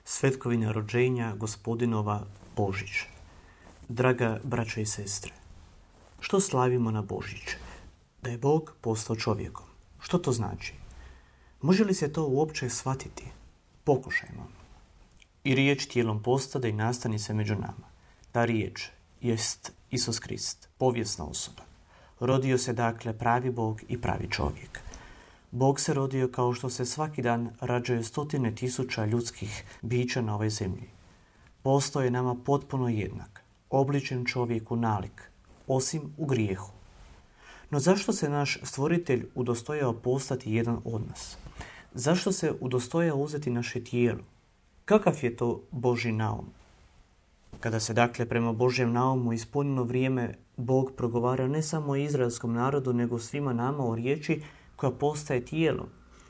Svetkovina rođenja Gospodinova Božić. Draga braćo i sestre, što slavimo na Božić? Da je Bog postao čovjekom. Što to znači? Može li se to uopće shvatiti? Pokušajmo. I riječ tijelom postade i nastani se među nama. Ta riječ jest Isus Krist, povijesna osoba. Rodio se dakle pravi Bog i pravi čovjek. Bog se rodio kao što se svaki dan rađaju 100.000 ljudskih bića na ovoj zemlji. Postao je nama potpuno jednak, obličen čovjeku nalik, osim u grijehu. No zašto se naš stvoritelj udostojao postati jedan od nas? Zašto se udostojao uzeti naše tijelo? Kakav je to Božji naum? Kada se dakle prema Božjem naumu ispunilo vrijeme, Bog progovara ne samo izraelskom narodu, nego svima nama o riječi koja postaje tijelom,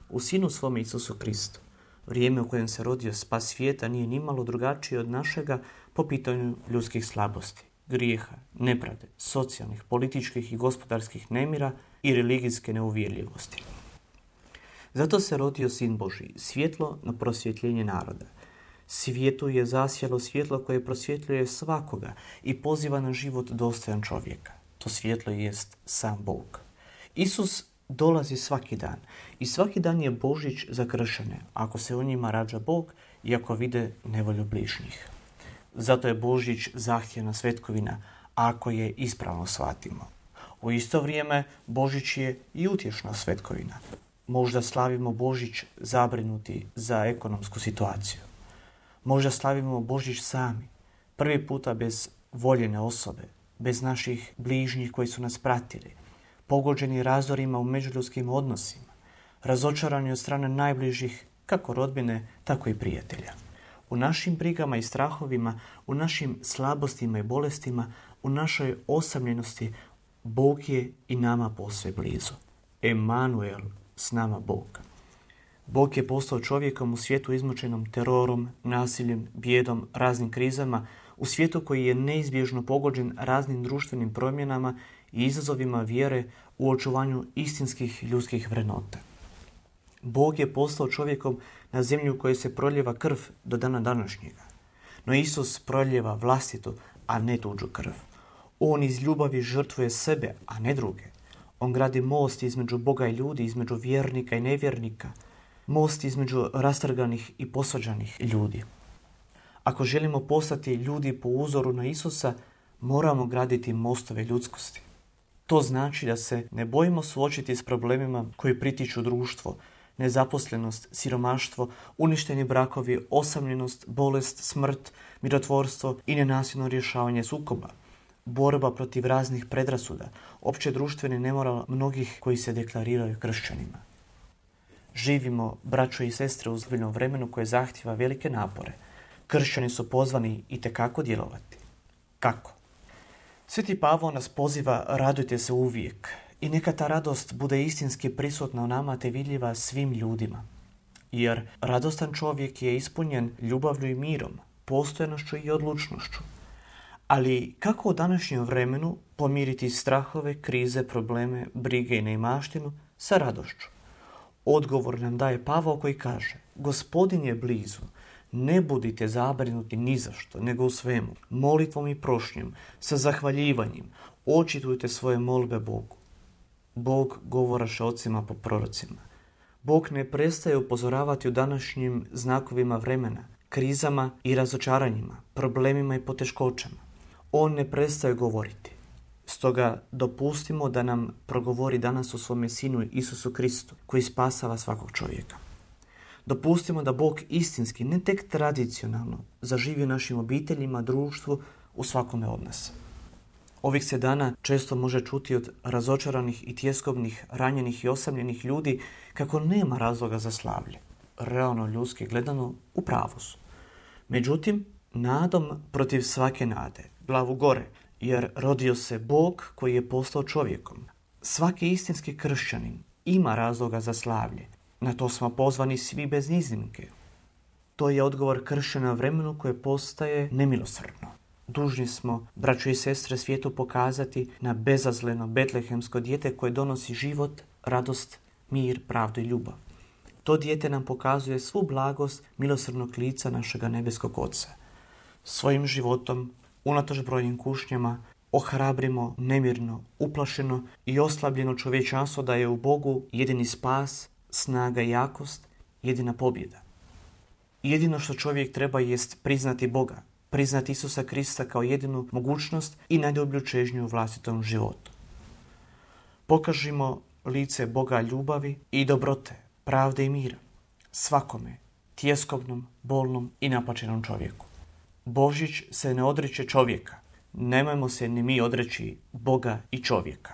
u Sinu svome Isusu Kristu. Vrijeme u kojem se rodio spas svijeta nije nimalo drugačije od našega po pitanju ljudskih slabosti, grijeha, nepravde, socijalnih, političkih i gospodarskih nemira i religijske neuvjerljivosti. Zato se rodio Sin Božji, svjetlo na prosvjetljenje naroda. Svijetu je zasjalo svjetlo koje prosvjetljuje svakoga i poziva na život dostojan čovjeka. To svjetlo jest sam Bog. Isus dolazi svaki dan i svaki dan je Božić za kršćane, ako se u njima rađa Bog i ako vide nevolju bližnjih. Zato je Božić zahtjevna svetkovina, ako je ispravno shvatimo. U isto vrijeme Božić je i utješna svetkovina. Možda slavimo Božić zabrinuti za ekonomsku situaciju. Možda slavimo Božić sami, prvi puta bez voljene osobe, bez naših bližnjih koji su nas pratili, pogođeni razorima u međuljudskim odnosima, razočarani od strane najbližih, kako rodbine, tako i prijatelja. U našim brigama i strahovima, u našim slabostima i bolestima, u našoj osamljenosti, Bog je i nama posve blizu. Emanuel, s nama Bog. Bog je postao čovjekom u svijetu izmučenom terorom, nasiljem, bijedom, raznim krizama, u svijetu koji je neizbježno pogođen raznim društvenim promjenama i izazovima vjere u očuvanju istinskih ljudskih vrednota. Bog je postao čovjekom na zemlji u kojoj se proljeva krv do dana današnjega. No Isus proljeva vlastitu, a ne tuđu krv. On iz ljubavi žrtvuje sebe, a ne druge. On gradi most između Boga i ljudi, između vjernika i nevjernika, most između rastrganih i posvađanih ljudi. Ako želimo postati ljudi po uzoru na Isusa, moramo graditi mostove ljudskosti. To znači da se ne bojimo suočiti s problemima koji pritiču društvo, nezaposlenost, siromaštvo, uništeni brakovi, osamljenost, bolest, smrt, mirotvorstvo i nenasilno rješavanje sukoba, borba protiv raznih predrasuda, opće društveni nemoral mnogih koji se deklariraju kršćanima. Živimo, braćo i sestre, u ozbiljnom vremenu koje zahtijeva velike napore. Kršćani su pozvani itekako djelovati. Kako? Sveti Pavao nas poziva radujte se uvijek i neka ta radost bude istinski prisutna u nama te vidljiva svim ljudima. Jer radostan čovjek je ispunjen ljubavlju i mirom, postojanošću i odlučnošću. Ali kako u današnjem vremenu pomiriti strahove, krize, probleme, brige i neimaštinu sa radošću? Odgovor nam daje Pavao koji kaže: Gospodin je blizu, ne budite zabrinuti ni za što, nego u svemu, molitvom i prošnjom, sa zahvaljivanjem, očitujte svoje molbe Bogu. Bog govoraše ocima po prorocima. Bog ne prestaje upozoravati u današnjim znakovima vremena, krizama i razočaranjima, problemima i poteškoćama. On ne prestaje govoriti. Stoga dopustimo da nam progovori danas u svome Sinu Isusu Kristu, koji spasava svakog čovjeka. Dopustimo da Bog istinski, ne tek tradicionalno, zaživi u našim obiteljima, društvu, u svakome od nas. Ovih se dana često može čuti od razočaranih i tjeskobnih, ranjenih i osamljenih ljudi kako nema razloga za slavlje. Realno ljudski gledano, u pravu su. Međutim, nadom protiv svake nade, glavu gore, jer rodio se Bog koji je postao čovjekom. Svaki istinski kršćanin ima razloga za slavlje. Na to smo pozvani svi bez iznimke. To je odgovor kršćana vremenu koje postaje nemilosrdno. Dužni smo, braćo i sestre, svijetu pokazati na bezazleno betlehemsko dijete koje donosi život, radost, mir, pravdu i ljubav. To dijete nam pokazuje svu blagost milosrdnog lica našega nebeskog Oca. Svojim životom, unatoč brojnim kušnjama, ohrabrimo nemirno, uplašeno i oslabljeno čovječanstvo da je u Bogu jedini spas, snaga i jakost, jedina pobjeda. Jedino što čovjek treba jest priznati Boga, priznati Isusa Krista kao jedinu mogućnost i najdublju čežnju u vlastitom životu. Pokažimo lice Boga ljubavi i dobrote, pravde i mira, svakome, tjeskobnom, bolnom i napačenom čovjeku. Božić se ne odriče čovjeka, nemojmo se ni mi odreći Boga i čovjeka.